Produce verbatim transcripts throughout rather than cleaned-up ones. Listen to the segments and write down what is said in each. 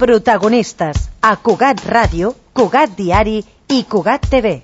Protagonistes a Cugat Ràdio, Cugat Diari i Cugat T V.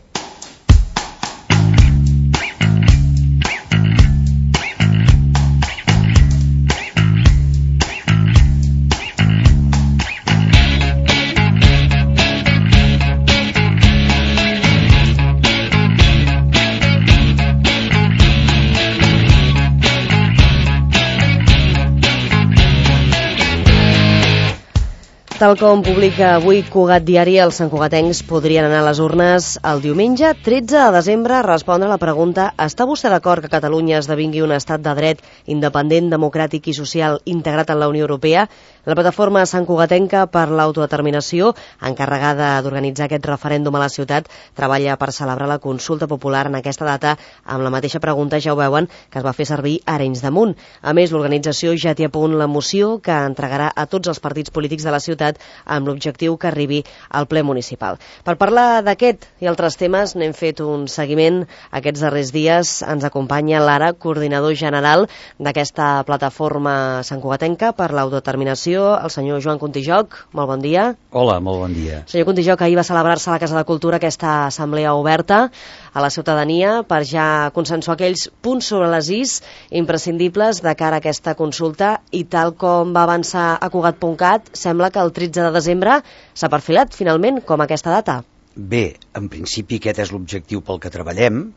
Tal com publica avui Cugat Diari, els santcugatencs podrien anar a les urnes el diumenge tretze de desembre a respondre a la pregunta: està vostè d'acord que Catalunya esdevingui un estat de dret, independent, democràtic i social integrat en la Unió Europea? La plataforma santcugatenca per l'autodeterminació, encarregada d'organitzar aquest referèndum a la ciutat, treballa per celebrar la consulta popular en aquesta data amb la mateixa pregunta, ja ho veuen, que es va fer servir a Arenys de Munt. A més, l'organització ja té a punt la moció que entregarà a tots els partits polítics de la ciutat amb l'objectiu que arribi al ple municipal. Per parlar d'aquest i altres temes n'hem fet un seguiment aquests darrers dies. Ens acompanya l'ara coordinador general d'aquesta plataforma santcugatenca per l'autodeterminació, el senyor Joan Contijoch. Molt bon dia. Hola, molt bon dia. Senyor Contijoch, ahir va celebrar-se a la Casa de Cultura aquesta assemblea oberta a la ciutadania per ja consensuar aquells punts sobre les is imprescindibles de cara a aquesta consulta, i tal com va avançar a Cugat punt cat, sembla que el tretze de desembre s'ha perfilat finalment com aquesta data. Bé, en principi aquest és l'objectiu pel que treballem.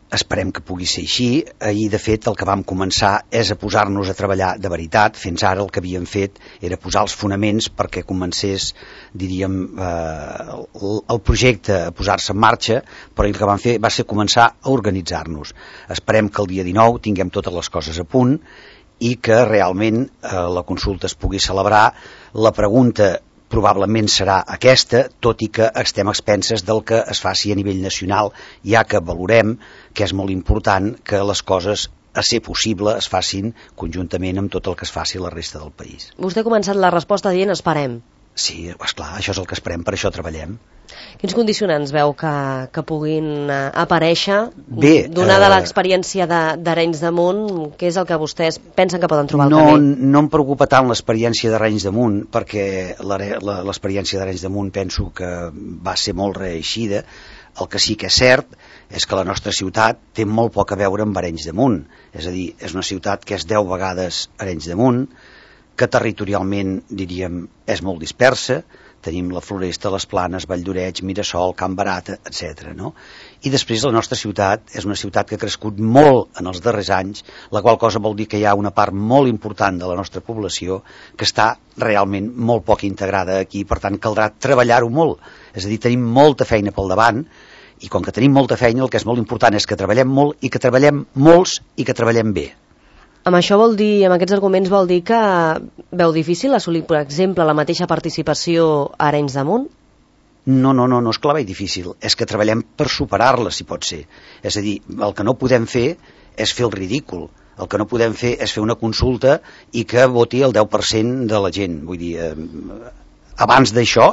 Esperem que pugui ser així. Ahir, de fet, el que vam començar és a posar-nos a treballar de veritat. Fins ara el que havíem fet era posar els fonaments perquè comencés, diríem, eh, el projecte a posar-se en marxa, però el que vam fer va ser començar a organitzar-nos. Esperem que el dia dinou tinguem totes les coses a punt i que realment eh, la consulta es pugui celebrar. La pregunta probablement serà aquesta, tot i que estem a expenses del que es faci a nivell nacional, ja que valorem que és molt important que les coses, a ser possible, es facin conjuntament amb tot el que es faci a la resta del país. Vostè ha començat la resposta dient esperem. Sí, esclar, això és el que esperem, per això treballem. Quins condicionants veu que, que puguin uh, aparèixer, Bé, donada eh, l'experiència d'Arenys de Munt? Què és el que vostès pensen que poden trobar al no, camí? No em preocupa tant l'experiència d'Arenys de Munt, perquè l'experiència d'Arenys de Munt penso que va ser molt reeixida. El que sí que és cert és que la nostra ciutat té molt poc a veure amb Arenys de Munt. És a dir, és una ciutat que és deu vegades Arenys de Munt, que territorialment, diríem, és molt dispersa. Tenim la Floresta, les Planes, Valldoreix, Mirasol, Can Barata, etcètera. No? I després la nostra ciutat és una ciutat que ha crescut molt en els darrers anys, la qual cosa vol dir que hi ha una part molt important de la nostra població que està realment molt poc integrada aquí, per tant caldrà treballar-ho molt. És a dir, tenim molta feina pel davant, i com que tenim molta feina, el que és molt important és que treballem molt i que treballem molts i que treballem bé. Amb això vol dir, amb aquests arguments vol dir que veu difícil assolir, per exemple, la mateixa participació a Arenys de Munt? No, no, no, no és que la veig difícil, és que treballem per superar-la, si pot ser. És a dir, el que no podem fer és fer el ridícul. El que no podem fer és fer una consulta i que voti el deu per cent de la gent. Vull dir, eh, abans d'això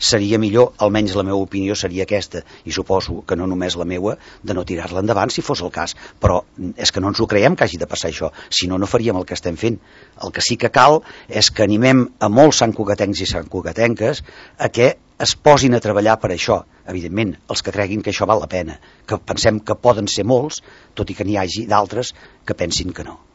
seria millor, almenys la meva opinió seria aquesta, i suposo que no només la meua, de no tirar-la endavant si fos el cas, però és que no ens ho creiem que hagi de passar això, si no, no faríem el que estem fent. El que sí que cal és que animem a molts santcugatencs i santcugatenques a que es posin a treballar per això, evidentment, els que creguin que això val la pena, que pensem que poden ser molts, tot i que n'hi hagi d'altres que pensin que no.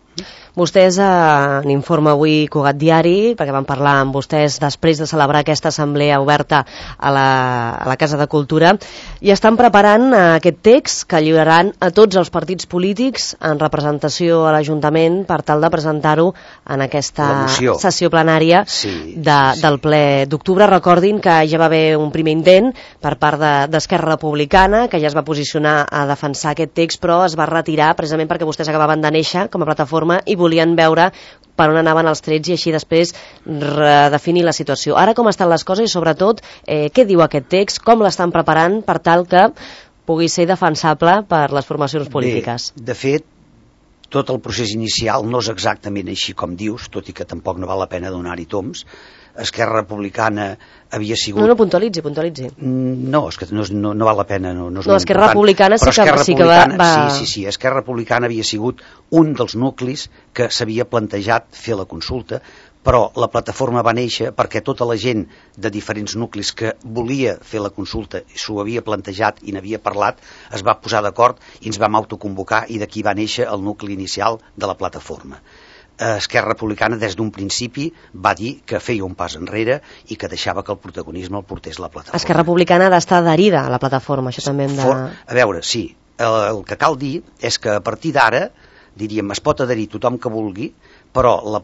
Vostès, en informe avui Cugat Diari, perquè vam parlar amb vostès després de celebrar aquesta assemblea oberta a la, a la Casa de Cultura, i estan preparant aquest text que lliuraran a tots els partits polítics en representació a l'Ajuntament per tal de presentar-ho en aquesta sessió plenària sí, de, sí, sí. del ple d'octubre. Recordin que ja va haver un primer intent per part d'Esquerra de, Republicana, que ja es va posicionar a defensar aquest text, però es va retirar precisament perquè vostès acabaven de néixer com a plataforma i volien veure per on anaven els trets i així després redefinir la situació. Ara com estan les coses i sobretot eh, què diu aquest text, com l'estan preparant per tal que pugui ser defensable per les formacions polítiques? Bé, de fet, tot el procés inicial no és exactament així com dius, tot i que tampoc no val la pena donar-hi toms. Esquerra Republicana havia sigut... No, no, puntualitzi, puntualitzi. No, és que no, no, no val la pena, no, no és no, Esquerra Republicana sí que, sí que va, va... Sí, sí, sí, Esquerra Republicana havia sigut un dels nuclis que s'havia plantejat fer la consulta, però la plataforma va néixer perquè tota la gent de diferents nuclis que volia fer la consulta, s'ho havia plantejat i n'havia parlat, es va posar d'acord i ens vam autoconvocar, i d'aquí va néixer el nucli inicial de la plataforma. Esquerra Republicana des d'un principi va dir que feia un pas enrere i que deixava que el protagonisme el portés la plataforma. Esquerra Republicana ha d'estar adherida a la plataforma, això també hem de... For, a veure, sí, el, el que cal dir és que a partir d'ara, diríem, es pot adherir tothom que vulgui, però la,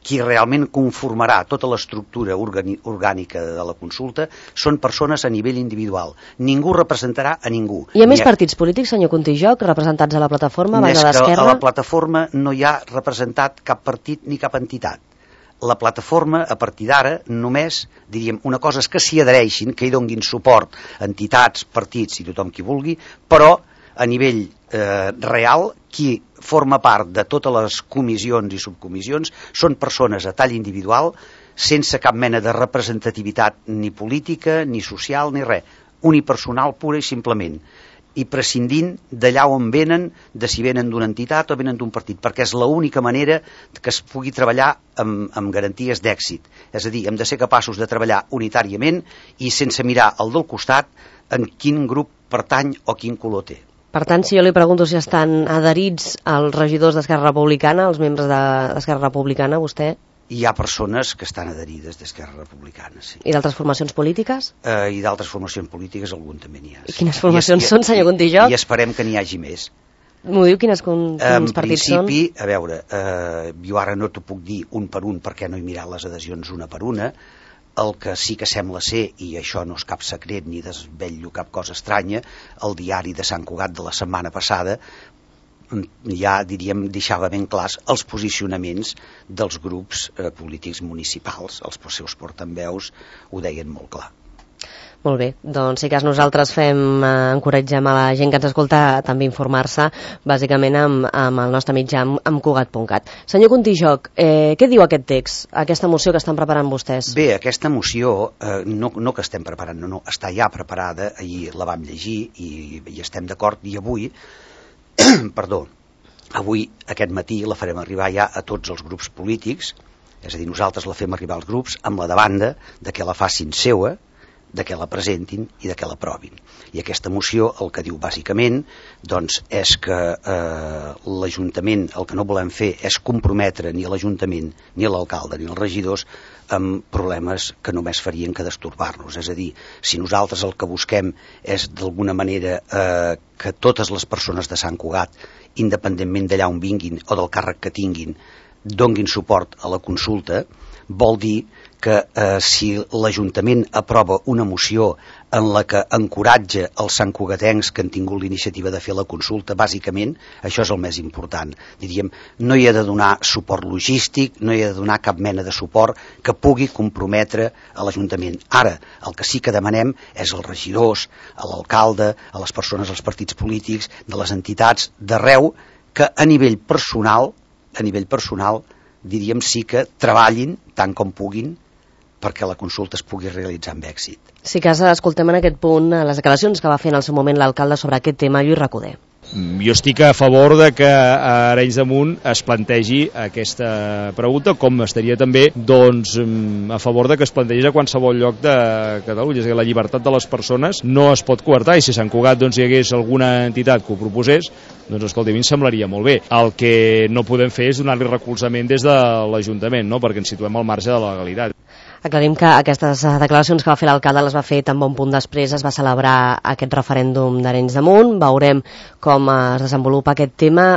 qui realment conformarà tota l'estructura organi, orgànica de la consulta són persones a nivell individual. Ningú representarà a ningú. Hi ha més partits polítics, senyor Contijoch, representats a la plataforma, a banda d'Esquerra? Més que a la plataforma no hi ha representat cap partit ni cap entitat. La plataforma, a partir d'ara, només, diríem, una cosa és que s'hi adhereixin, que hi donguin suport entitats, partits i tothom qui vulgui, però a nivell eh, real, qui forma part de totes les comissions i subcomissions són persones a tall individual, sense cap mena de representativitat ni política, ni social, ni res, unipersonal pura i simplement, i prescindint d'allà on venen, de si venen d'una entitat o venen d'un partit, perquè és l'única manera que es pugui treballar amb, amb garanties d'èxit. És a dir, hem de ser capaços de treballar unitàriament i sense mirar al del costat en quin grup pertany o quin color té. Per tant, si jo li pregunto si estan adherits als regidors d'Esquerra Republicana, els membres d'Esquerra Republicana, vostè... Hi ha persones que estan adherides d'Esquerra Republicana, sí. I d'altres formacions polítiques? Uh, I d'altres formacions polítiques algun també n'hi ha. Sí. I quines formacions I, són, senyor Contijoch? I esperem que n'hi hagi més. M'ho diu quines, quins en partits són? En principi, a veure, uh, jo ara no t'ho puc dir un per un perquè no he mirat les adhesions una per una. El que sí que sembla ser, i això no és cap secret ni desvetllo cap cosa estranya, el diari de Sant Cugat de la setmana passada ja, diríem, deixava ben clars els posicionaments dels grups eh, polítics municipals, els seus portaveus ho deien molt clar. Molt bé, doncs si cas nosaltres fem, eh, encoratgem a la gent que ens escolta també informar-se, bàsicament amb, amb el nostre mitjà, amb, amb Cugat punt cat. Senyor Contijoch, eh, què diu aquest text, aquesta moció que estan preparant vostès? Bé, aquesta moció, eh, no, no que estem preparant, no, no, està ja preparada, ahir la vam llegir i, i estem d'acord, i avui, perdó, avui, aquest matí, la farem arribar ja a tots els grups polítics, és a dir, nosaltres la fem arribar als grups amb la demanda de que la facin seua, de què la presentin i de què l'aprovin. I aquesta moció el que diu bàsicament doncs, és que eh, l'Ajuntament, el que no volem fer és comprometre ni l'Ajuntament, ni l'alcalde, ni els regidors amb problemes que només farien que destorbar-nos. És a dir, si nosaltres el que busquem és d'alguna manera eh, que totes les persones de Sant Cugat, independentment d'allà on vinguin o del càrrec que tinguin, donguin suport a la consulta, vol dir que eh, si l'Ajuntament aprova una moció en la que encoratja els santcugatencs que han tingut l'iniciativa de fer la consulta, bàsicament, això és el més important. Diríem, no hi ha de donar suport logístic, no hi ha de donar cap mena de suport que pugui comprometre a l'Ajuntament. Ara, el que sí que demanem és als regidors, a l'alcalde, a les persones dels partits polítics, de les entitats, d'arreu, que a nivell personal, a nivell personal, diríem sí que treballin tant com puguin perquè la consulta es pugui realitzar amb èxit. Si cas, escoltem en aquest punt les declaracions que va fer en el seu moment l'alcalde sobre aquest tema, Lluís Recoder. Jo estic a favor de que a Arenys de Munt es plantegi aquesta pregunta, com estaria també doncs, a favor de que es plantegés a qualsevol lloc de Catalunya. És que la llibertat de les persones no es pot coartar, i si a Sant Cugat doncs, hi hagués alguna entitat que ho proposés, doncs escolta, a mi em semblaria molt bé. El que no podem fer és donar-li recolzament des de l'Ajuntament, no? Perquè ens situem al marge de la legalitat. Aclarim que aquestes declaracions que va fer l'alcalde les va fer tan bon punt després es va celebrar aquest referèndum d'Arenys de Munt. Veurem com es desenvolupa aquest tema.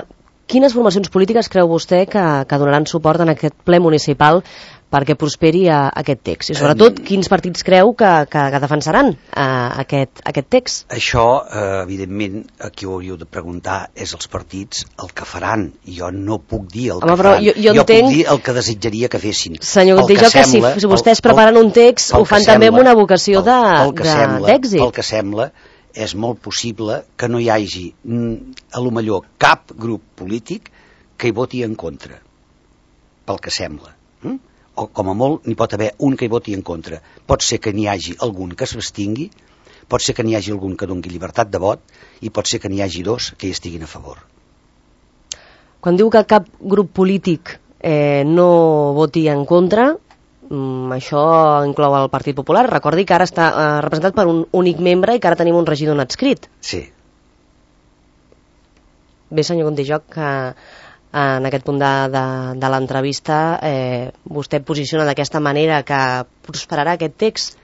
Quines formacions polítiques creu vostè que, que donaran suport en aquest ple municipal perquè prosperi a, a aquest text? I sobretot, quins partits creu que, que, que defensaran a, aquest, aquest text? Això, eh, evidentment, a qui ho hauríeu de preguntar és els partits el que faran. Jo no puc dir el Home, que faran. Jo, jo, jo entenc... puc dir el que desitjaria que fessin. Senyor Contijoch, que, que si vostès preparen un text, ho fan també amb una vocació d'èxit. El que sembla és molt possible que no hi hagi, a lo millor, cap grup polític que hi voti en contra. Pel que sembla. Mm? O com a molt n'hi pot haver un que hi voti en contra. Pot ser que n'hi hagi algun que s'abstingui, pot ser que n'hi hagi algun que doni llibertat de vot i pot ser que n'hi hagi dos que hi estiguin a favor. Quan diu que cap grup polític eh, no voti en contra. Mm, això inclou el Partit Popular. Recordi que ara està eh, representat per un únic membre i que ara tenim un regidor no adscrit. Sí. Bé, senyor Contijoch, que en aquest punt de, de, de l'entrevista eh, vostè posiciona d'aquesta manera que prosperarà aquest text.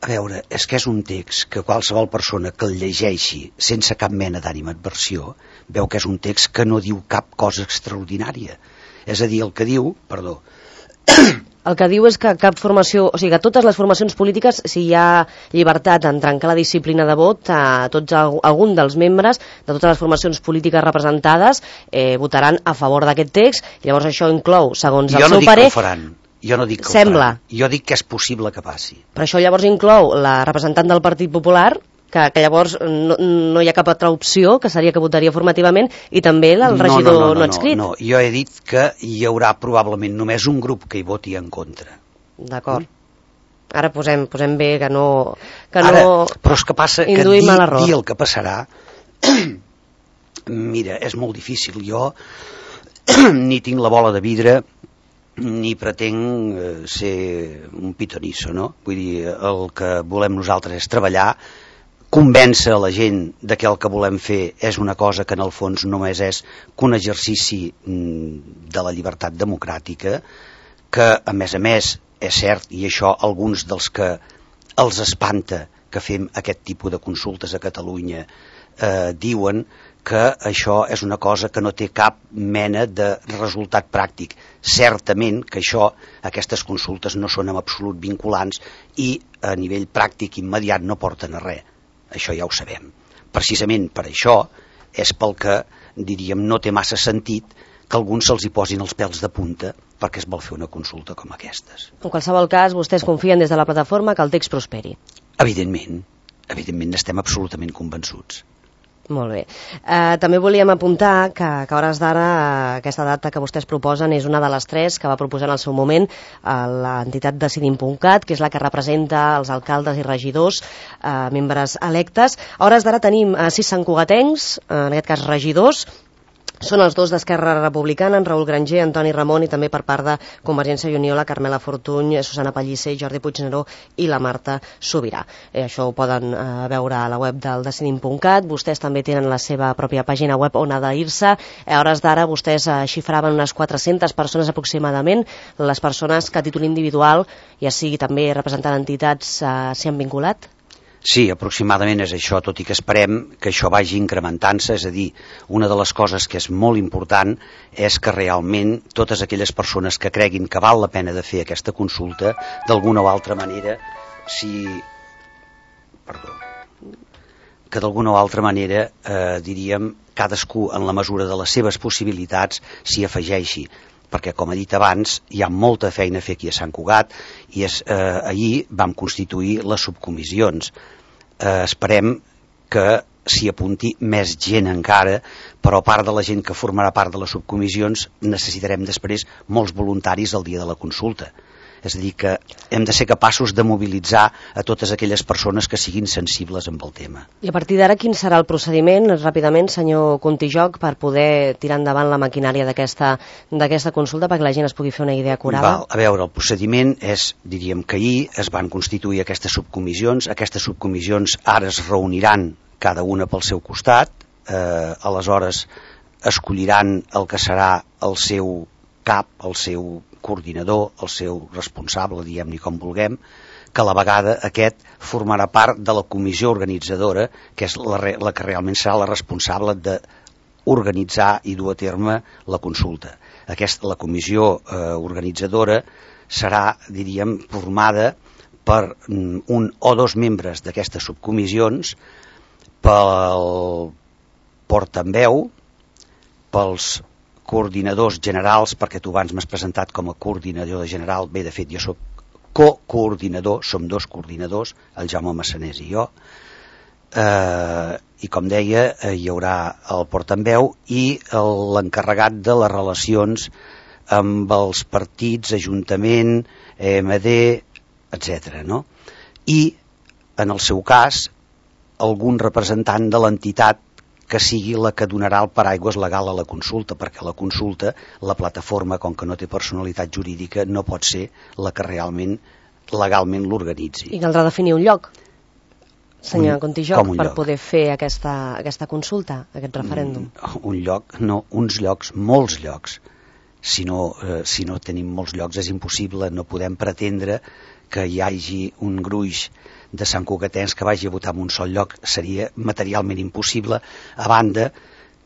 A veure, és que és un text que qualsevol persona que el llegeixi sense cap mena d'ànima adversió veu que és un text que no diu cap cosa extraordinària. És a dir, el que diu... Perdó. El que diu és que cap formació, o sigui, que totes les formacions polítiques, si hi ha llibertat en trencar la disciplina de vot, a tots algun dels membres de totes les formacions polítiques representades eh, votaran a favor d'aquest text, i llavors això inclou, segons el jo no seu parer... Jo no dic que ho faran. Jo no dic que sembla. ho faran. Jo dic que és possible que passi. Però això llavors inclou la representant del Partit Popular, que, que llavors no, no hi ha cap altra opció, que seria que votaria formativament, i també el regidor no, no, no, no, no adscrit. No, no, jo he dit que hi haurà probablement només un grup que hi voti en contra. D'acord. Ara posem, posem bé que no, que Ara, no però és que passa que induïm a dir, l'error. dir el que passarà mira, és molt difícil. Jo ni tinc la bola de vidre ni pretenc eh, ser un pitonisso, no? Vull dir, el que volem nosaltres és treballar, convèncer a la gent de que el que volem fer és una cosa que en el fons només és que un exercici de la llibertat democràtica, que a més a més és cert, i això alguns dels que els espanta que fem aquest tipus de consultes a Catalunya eh, diuen que això és una cosa que no té cap mena de resultat pràctic. Certament que això, aquestes consultes no són en absolut vinculants i a nivell pràctic immediat no porten a res. Això ja ho sabem. Precisament per això és pel que, diríem, no té massa sentit que alguns se'ls hi posin els pèls de punta perquè es vol fer una consulta com aquestes. En qualsevol cas, vostès confien des de la plataforma que el text prosperi. Evidentment, evidentment estem absolutament convençuts. Molt bé. Eh, també volíem apuntar que, que a hores d'ara eh, aquesta data que vostès proposen és una de les tres que va proposar en el seu moment eh, l'entitat decidim punt cat, que és la que representa els alcaldes i regidors, eh, membres electes. A hores d'ara tenim eh, sis santcugatencs, eh, en aquest cas regidors. Són els dos d'Esquerra Republicana, en Raül Granger, Antoni Ramon, i també per part de Convergència i Unió, la Carmela Fortuny, Susana Pellicer, Jordi Puigneró i la Marta Sobirà. Eh, això ho poden eh, veure a la web del decidim punt cat. Vostès també tenen la seva pròpia pàgina web on adherir-se. A hores d'ara vostès eh, xifraven unes quatre-centes persones aproximadament. Les persones que a títol individual, ja sigui també representant entitats, eh, s'hi han vinculat? Sí, aproximadament és això, tot i que esperem que això vagi incrementant-se, és a dir, una de les coses que és molt important és que realment totes aquelles persones que creguin que val la pena de fer aquesta consulta, d'alguna o altra manera, si... Perdó. Que d'alguna o altra manera, eh, diríem, cadascú en la mesura de les seves possibilitats s'hi afegeixi, perquè, com he dit abans, hi ha molta feina a fer aquí a Sant Cugat i és, eh, ahir vam constituir les subcomissions. Eh, esperem que s'hi apunti més gent encara, però a part de la gent que formarà part de les subcomissions necessitarem després molts voluntaris el dia de la consulta. És a dir, que hem de ser capaços de mobilitzar a totes aquelles persones que siguin sensibles amb el tema. I a partir d'ara, quin serà el procediment, ràpidament, senyor Contijoch, per poder tirar endavant la maquinària d'aquesta d'aquesta consulta perquè la gent es pugui fer una idea acurada? Val, a veure, el procediment és, diríem que ahir es van constituir aquestes subcomissions, aquestes subcomissions ara es reuniran cada una pel seu costat, eh, aleshores escolliran el que serà el seu cap, el seu coordinador, el seu responsable, diguem-ne com vulguem, que a la vegada aquest formarà part de la comissió organitzadora, que és la, la que realment serà la responsable d'organitzar i dur a terme la consulta. Aquesta, la comissió eh, organitzadora serà, diríem, formada per un o dos membres d'aquestes subcomissions, pel portaveu, pels coordinadors generals, perquè tu abans m'has presentat com a coordinador general. Bé, de fet, jo soc co-coordinador, som dos coordinadors, el Jaume Massanés i jo, eh, i com deia, eh, hi haurà el portaveu i l'encarregat de les relacions amb els partits, Ajuntament, E M D, etcètera, no? I, en el seu cas, algun representant de l'entitat que sigui la que donarà el paraigües legal a la consulta, perquè la consulta, la plataforma, com que no té personalitat jurídica, no pot ser la que realment legalment l'organitzi. I caldrà definir un lloc, senyor Contijoch, per lloc? poder fer aquesta, aquesta consulta, aquest referèndum. Mm, un lloc, no, uns llocs, molts llocs. Si no, eh, si no tenim molts llocs és impossible, no podem pretendre que hi hagi un gruix de santcugatens que vagi a votar en un sol lloc, seria materialment impossible, a banda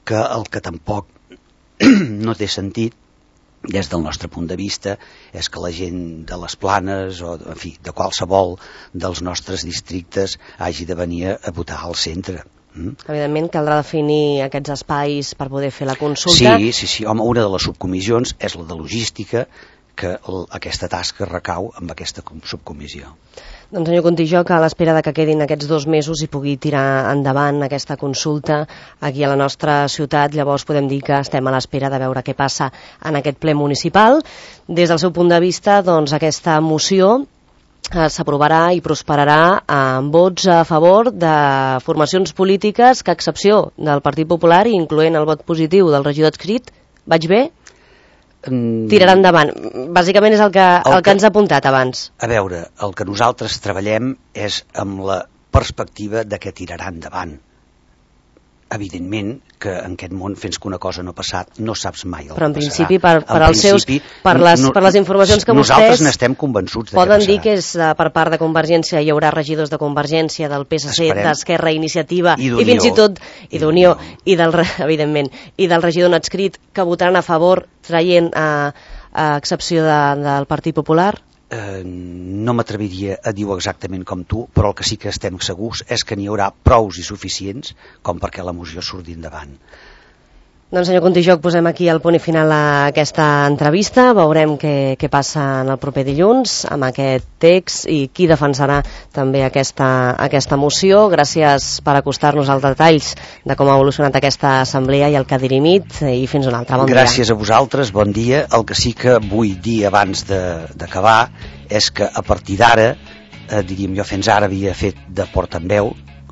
que el que tampoc no té sentit des del nostre punt de vista és que la gent de les Planes o en fi, de qualsevol dels nostres districtes hagi de venir a votar al centre. Mm? Evidentment caldrà definir aquests espais per poder fer la consulta. Sí, sí, sí. Home, una de les subcomissions és la de logística, que el, aquesta tasca recau amb aquesta subcomissió. Doncs senyor Contijoch, a l'espera de que quedin aquests dos mesos i pugui tirar endavant aquesta consulta aquí a la nostra ciutat, llavors podem dir que estem a l'espera de veure què passa en aquest ple municipal. Des del seu punt de vista, doncs, aquesta moció eh, s'aprovarà i prosperarà amb vots a favor de formacions polítiques que, a excepció del Partit Popular, incloent el vot positiu del regidor adscrit, vaig bé? Tirarà endavant. Bàsicament és el que, el, el que ens ha apuntat abans. A veure, el que nosaltres treballem és amb la perspectiva de que tirarà endavant. Evidentment que en aquest món, fins que una cosa no ha passat, no saps mai el Però en que principi, passarà. per, per, als seus, per, les, per les informacions que nosaltres vostès n'estem convençuts de poden que dir que és uh, per part de Convergència, hi haurà regidors de Convergència, del P S C, d'Esquerra, Iniciativa i, i fins i tot i d'Unió i del, evidentment, i del regidor no adscrit que votaran a favor traient a, a excepció de, del Partit Popular? Eh, no m'atreviria a dir exactament com tu, però el que sí que estem segurs és que n'hi haurà prous i suficients com perquè la moció surti endavant. Doncs senyor Contijoch, posem aquí el punt i final a aquesta entrevista, veurem què, què passa en el proper dilluns amb aquest text i qui defensarà també aquesta, aquesta moció. Gràcies per acostar-nos als detalls de com ha evolucionat aquesta assemblea i el que ha dirimit, i fins un altre. Bon dia. Gràcies a vosaltres, bon dia. El que sí que vull dir abans d'acabar és que a partir d'ara, eh, diríem jo fins ara havia fet de portaveu,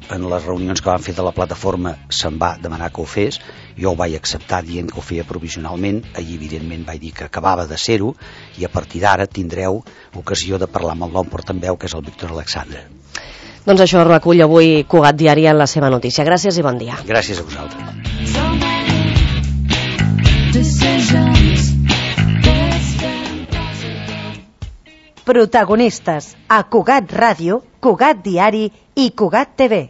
en les reunions que van fer de la plataforma se'm va demanar que ho fes, jo ho vaig acceptar dient que ho feia provisionalment, allí evidentment vaig dir que acabava de ser-ho, i a partir d'ara tindreu ocasió de parlar amb el nou portaveu, que és el Víctor Alexandre. Doncs això recull avui Cugat Diari en la seva notícia. Gràcies i bon dia. Gràcies a vosaltres. Protagonistes a Cugat Ràdio, Cugat Diari i Cugat T V.